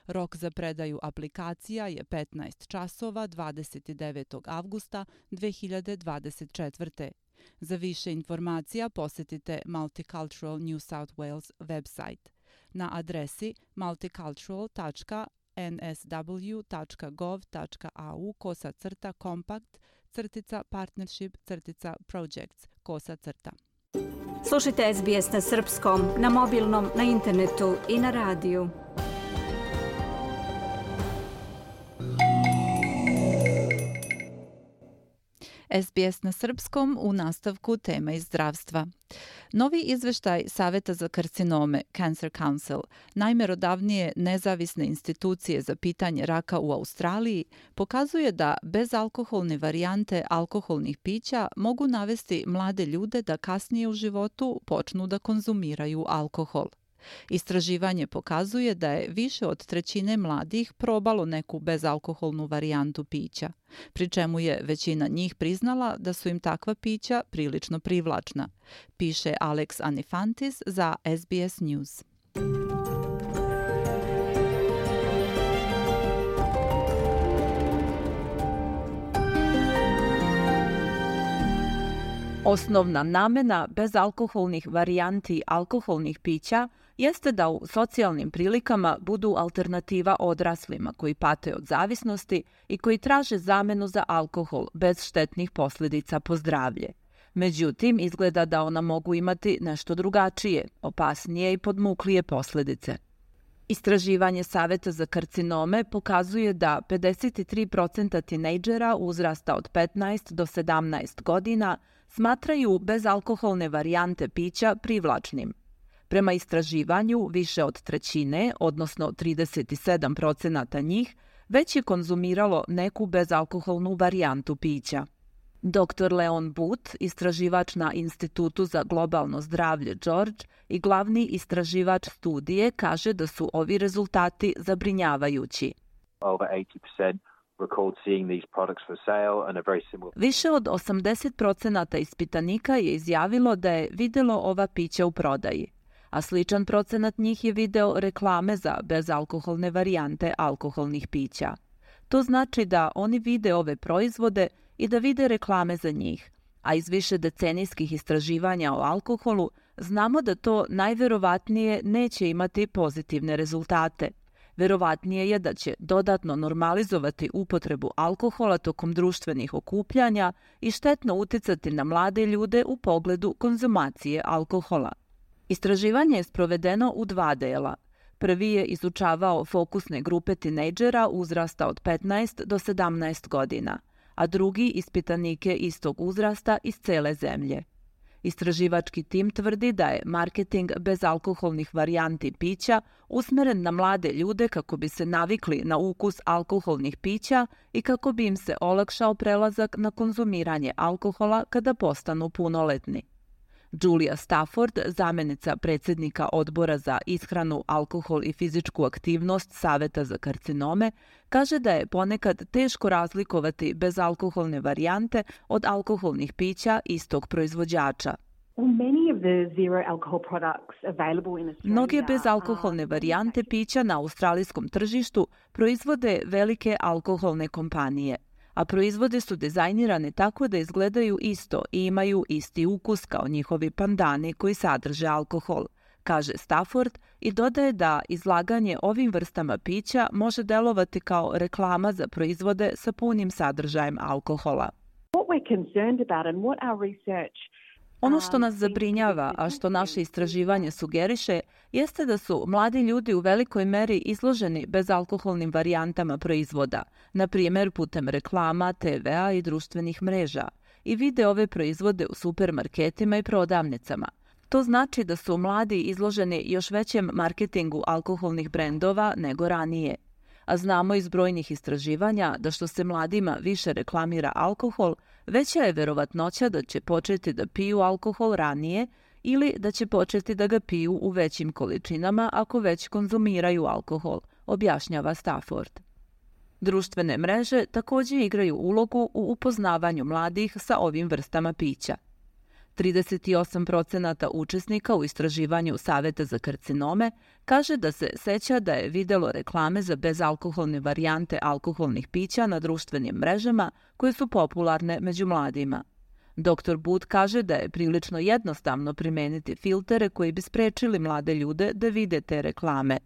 Rok za predaju aplikacija je 15 časova 29. avgusta 2024. Za više informacija posjetite Multicultural New South Wales website na adresi multicultural.nsw.gov.au/compact-partnership-projects. Slušajte SBS na srpskom, na mobilnom, na internetu i na radiju. SBS na srpskom u nastavku tema iz zdravstva. Novi izveštaj Saveta za karcinome, Cancer Council, najmerodavnije nezavisne institucije za pitanje raka u Australiji, pokazuje da bezalkoholne varijante alkoholnih pića mogu navesti mlade ljude da kasnije u životu počnu da konzumiraju alkohol. Istraživanje pokazuje da je više od trećine mladih probalo neku bezalkoholnu varijantu pića, pri čemu je većina njih priznala da su im takva pića prilično privlačna, piše Alex Anifantis za SBS News. Osnovna namena bezalkoholnih varijanti alkoholnih pića jeste da u socijalnim prilikama budu alternativa odraslima koji pate od zavisnosti i koji traže zamenu za alkohol bez štetnih posljedica po zdravlje. Međutim, izgleda da ona mogu imati nešto drugačije, opasnije i podmuklije posljedice. Istraživanje Saveta za karcinome pokazuje da 53% tinejdžera uzrasta od 15 do 17 godina smatraju bezalkoholne varijante pića privlačnim. Prema istraživanju, više od trećine, odnosno 37% njih, već je konzumiralo neku bezalkoholnu varijantu pića. Dr. Leon Booth, istraživač na Institutu za globalno zdravlje George i glavni istraživač studije, kaže da su ovi rezultati zabrinjavajući. Više od 80% ispitanika je izjavilo da je videlo ova pića u prodaji, a sličan procenat njih je video reklame za bezalkoholne varijante alkoholnih pića. To znači da oni vide ove proizvode i da vide reklame za njih, a iz više decenijskih istraživanja o alkoholu znamo da to najverovatnije neće imati pozitivne rezultate. Verovatnije je da će dodatno normalizovati upotrebu alkohola tokom društvenih okupljanja i štetno uticati na mlade ljude u pogledu konzumacije alkohola. Istraživanje je sprovedeno u 2 dela. Prvi je izučavao fokusne grupe tinejdžera uzrasta od 15 do 17 godina, a drugi ispitanike istog uzrasta iz cele zemlje. Istraživački tim tvrdi da je marketing bezalkoholnih varijanti pića usmeren na mlade ljude kako bi se navikli na ukus alkoholnih pića i kako bi im se olakšao prelazak na konzumiranje alkohola kada postanu punoletni. Julia Stafford, zamjenica predsjednika odbora za ishranu, alkohol i fizičku aktivnost Saveta za karcinome, kaže da je ponekad teško razlikovati bezalkoholne varijante od alkoholnih pića istog proizvođača. Mnoge bezalkoholne varijante pića na australijskom tržištu proizvode velike alkoholne kompanije, a proizvode su dizajnirane tako da izgledaju isto i imaju isti ukus kao njihovi pandani koji sadrže alkohol, kaže Stafford i dodaje da izlaganje ovim vrstama pića može delovati kao reklama za proizvode sa punim sadržajem alkohola. Ono što nas zabrinjava, a što naše istraživanje sugeriše, jeste da su mladi ljudi u velikoj meri izloženi bezalkoholnim varijantama proizvoda, na primjer putem reklama, TV-a i društvenih mreža, i vide ove proizvode u supermarketima i prodavnicama. To znači da su mladi izloženi još većem marketingu alkoholnih brendova nego ranije. A znamo iz brojnih istraživanja da što se mladima više reklamira alkohol, veća je verovatnoća da će početi da piju alkohol ranije ili da će početi da ga piju u većim količinama ako već konzumiraju alkohol, objašnjava Stafford. Društvene mreže također igraju ulogu u upoznavanju mladih sa ovim vrstama pića. 38% učesnika u istraživanju Saveta za karcinome kaže da se seća da je videlo reklame za bezalkoholne varijante alkoholnih pića na društvenim mrežama koje su popularne među mladima. Dr. Booth kaže da je prilično jednostavno primeniti filtere koji bi sprečili mlade ljude da vide te reklame.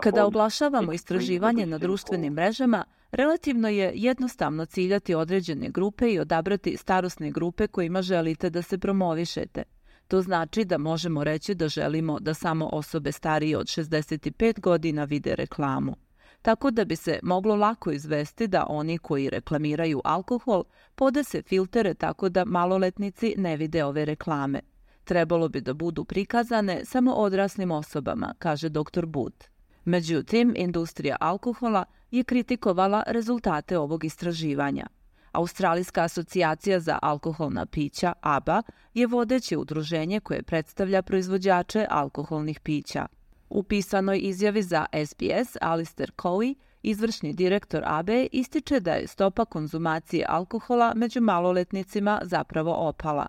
Kada oglašavamo istraživanje na društvenim mrežama, relativno je jednostavno ciljati određene grupe i odabrati starosne grupe kojima želite da se promovišete. To znači da možemo reći da želimo da samo osobe starije od 65 godina vide reklamu. Tako da bi se moglo lako izvesti da oni koji reklamiraju alkohol podese filtere tako da maloletnici ne vide ove reklame. Trebalo bi da budu prikazane samo odraslim osobama, kaže dr. Booth. Međutim, industrija alkohola je kritikovala rezultate ovog istraživanja. Australijska asocijacija za alkoholna pića, ABA, je vodeće udruženje koje predstavlja proizvođače alkoholnih pića. U pisanoj izjavi za SBS Alistair Cowie, izvršni direktor ABE, ističe da je stopa konzumacije alkohola među maloletnicima zapravo opala.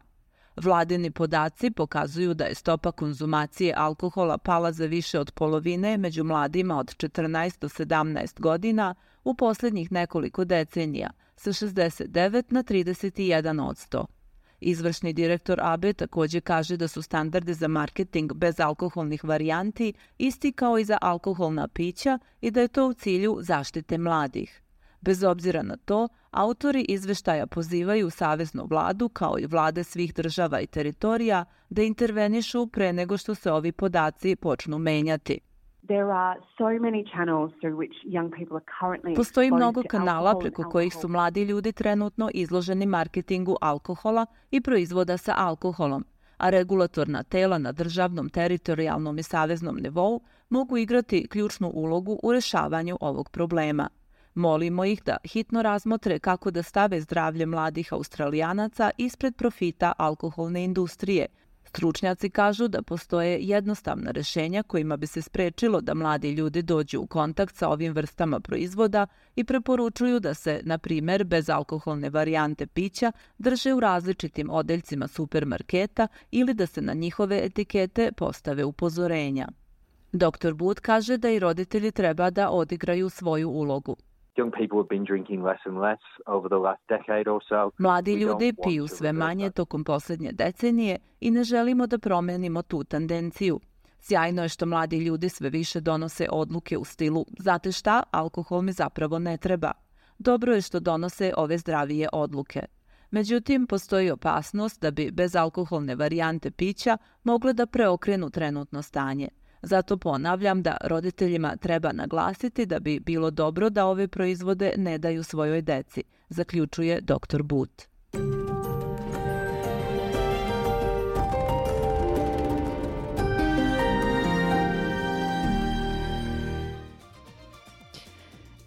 Vladini podaci pokazuju da je stopa konzumacije alkohola pala za više od polovine među mladima od 14 do 17 godina u posljednjih nekoliko decenija, sa 69 na 31%. Izvršni direktor ABE također kaže da su standardi za marketing bez alkoholnih varijanti isti kao i za alkoholna pića i da je to u cilju zaštite mladih. Bez obzira na to, autori izveštaja pozivaju saveznu vladu kao i vlade svih država i teritorija da intervenišu pre nego što se ovi podaci počnu menjati. Postoji mnogo kanala preko kojih su mladi ljudi trenutno izloženi marketingu alkohola i proizvoda sa alkoholom, a regulatorna tela na državnom, teritorijalnom i saveznom nivou mogu igrati ključnu ulogu u rešavanju ovog problema. Molimo ih da hitno razmotre kako da stave zdravlje mladih Australijanaca ispred profita alkoholne industrije. Stručnjaci kažu da postoje jednostavna rešenja kojima bi se sprečilo da mladi ljudi dođu u kontakt sa ovim vrstama proizvoda i preporučuju da se, na primjer, bezalkoholne varijante pića drže u različitim odeljcima supermarketa ili da se na njihove etikete postave upozorenja. Dr. Booth kaže da i roditelji treba da odigraju svoju ulogu. Mladi ljudi piju sve manje tokom posljednje decenije i ne želimo da promenimo tu tendenciju. Sjajno je što mladi ljudi sve više donose odluke u stilu znate šta, alkohol mi zapravo ne treba. Dobro je što donose ove zdravije odluke. Međutim, postoji opasnost da bi bezalkoholne varijante pića mogle da preokrenu trenutno stanje. Zato ponavljam da roditeljima treba naglasiti da bi bilo dobro da ove proizvode ne daju svojoj deci, zaključuje dr. Booth.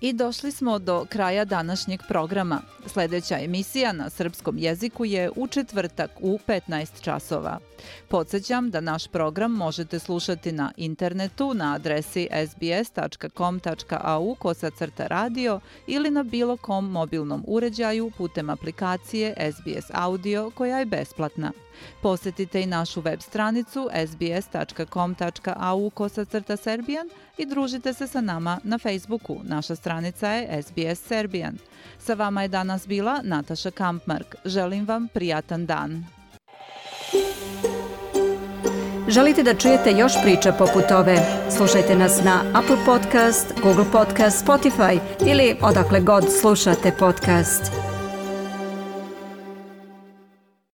I došli smo do kraja današnjeg programa. Sljedeća emisija na srpskom jeziku je u četvrtak u 15 časova. Podsjećam da naš program možete slušati na internetu na adresi sbs.com.au/radio ili na bilo kom mobilnom uređaju putem aplikacije SBS Audio koja je besplatna. Posjetite i našu web stranicu sbs.com.au/serbian i družite se sa nama na Facebooku. Naša stranica je SBS Serbian. Sa vama je danas bila Nataša Kampmark. Želim vam prijatan dan. Želite da čujete još priča poput ove? Slušajte nas na Apple Podcast, Google Podcast, Spotify ili odakle god slušate podcast.